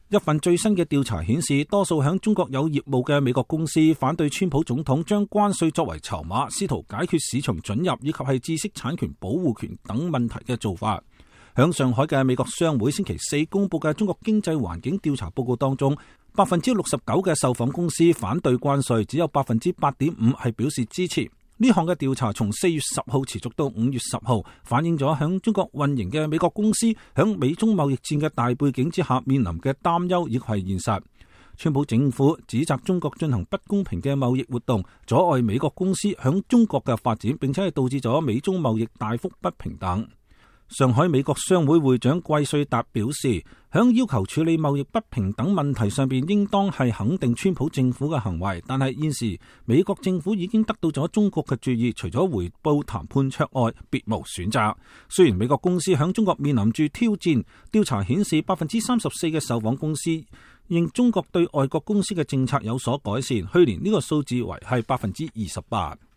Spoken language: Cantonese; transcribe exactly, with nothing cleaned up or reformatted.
一份最新嘅調查顯示，多數響中國有業務嘅美國公司反對川普總統將關稅作為籌碼，試圖解決市場准入以及係知識產權保護權等問題嘅做法。響上海嘅美國商會星期四公布嘅中國經濟環境調查報告當中，百分之六十九嘅受訪公司反對關稅，只有百分之八點五係表示支持。呢項嘅調查從四月十號持續到五月十號，反映咗響中國運營嘅美國公司響美中貿易戰嘅大背景之下面臨嘅擔憂亦係現實。川普政府指責中國進行不公平嘅貿易活動，阻礙美國公司響中國嘅發展，並且係導致咗美中貿易大幅不平等。上海美國商會會長季瑞達表示，響要求處理貿易不平等問題上邊，應當係肯定川普政府嘅行為，但係現時美國政府已經得到咗中國嘅注意，除咗回報談判桌外，別無選擇。雖然美國公司響中國面臨住挑戰，調查顯示百分之三十四嘅受訪公司認中國對外國公司嘅政策有所改善，去年呢個數字為係百分之二十八。